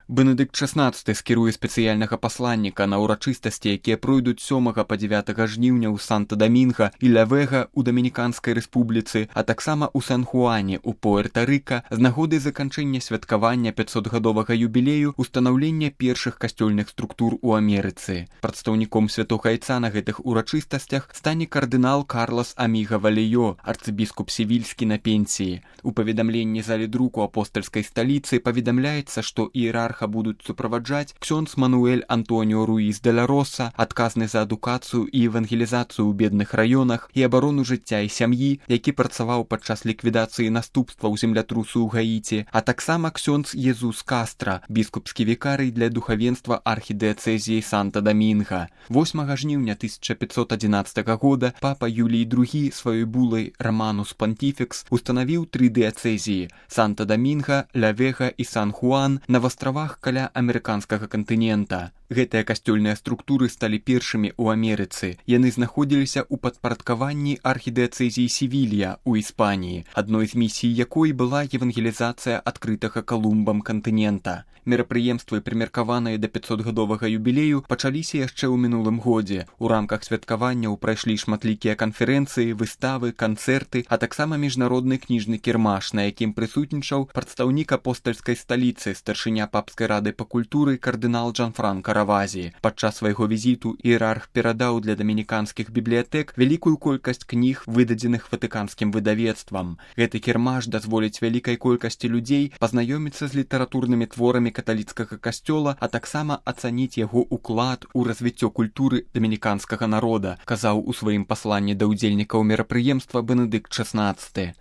Бенедыкт XVI скіруе спецыяльнага пасланніка на ўрачыстасці, якія пройдуць 7 па 9 жніўня ў Санта-Дамінга і Ля-Вега ў Дамініканскай рэспубліцы, а таксама ў Сан-Хуане ў Пуэрта-Рыка з нагоды заканчэння святкавання 500-гадовага юбілею устанаўлення першых касцёльных структур у Амерыцы. Прадстаўніком Святога Айца на гэтых урачыстасцях стане кардынал Карлас Аміга Валеё, арцыбіскуп севільскі на пенсіі. У паведамленні залі друку апостальскай сталіцы паведамляецца, што іерарха будуць суправаджаць ксёндз Мануэль Антоніо Руіс де ла Роса, адказны за адукацыю і евангелізацыю ў бедных раёнах і абарону жыцця і сям'і, які працаваў падчас ліквідацыі наступстваў землятрусу ў Гаіці, а таксама ксёндз Езус Кастра, біскупскі вікарый для духавенства архідыяцэзіі Санта-Дамінга. 8 жніўня 1511 года папа Юлій II сваёй булай Романус Понтифекс устанавіў 3 дыяцэзіі – Санта-Дамінга, Ля-Вега і Сан-Хуан на вастравах каля амерыканскага кантынента. Гэтыя касцёльныя структуры сталі першымі ў Амерыцы. Яны знаходзіліся ў падпарадкаванні архідыяцэзіі Севілья ў Іспаніі, адной з місій якой была евангелізацыя адкрытага Калумбам кантынента. Мерапрыемствы, прымеркаваныя да 500-гадовага юбілею, пачаліся яшчэ ў мінулым годзе. У рамках святкаванняў прайшлі шматлікія канферэнцыі, выставы, канцэрты, а таксама міжнародны кніжны кірмаш, на якім прысутнічаў прадстаўнік апостальскай сталіцы, старшыня папскай рады па культуры кардынал Джанфранка Равазі. Падчас свайго візіту іерарх перадаў для дамініканскіх бібліятэк вялікую колькасць кніг, выдадзеных ватыканскім выдавецтвам. Гэты кірмаш дазволіць вялікай колькасці людзей пазнаёміцца з літаратурнымі творамі каталіцкага касцёла, а таксама ацаніць яго ўклад у развіццё культуры дамініканскага народа, казаў у сваім пасланні да ўдзельнікаў мерапрыемства Бенедыкт XVI.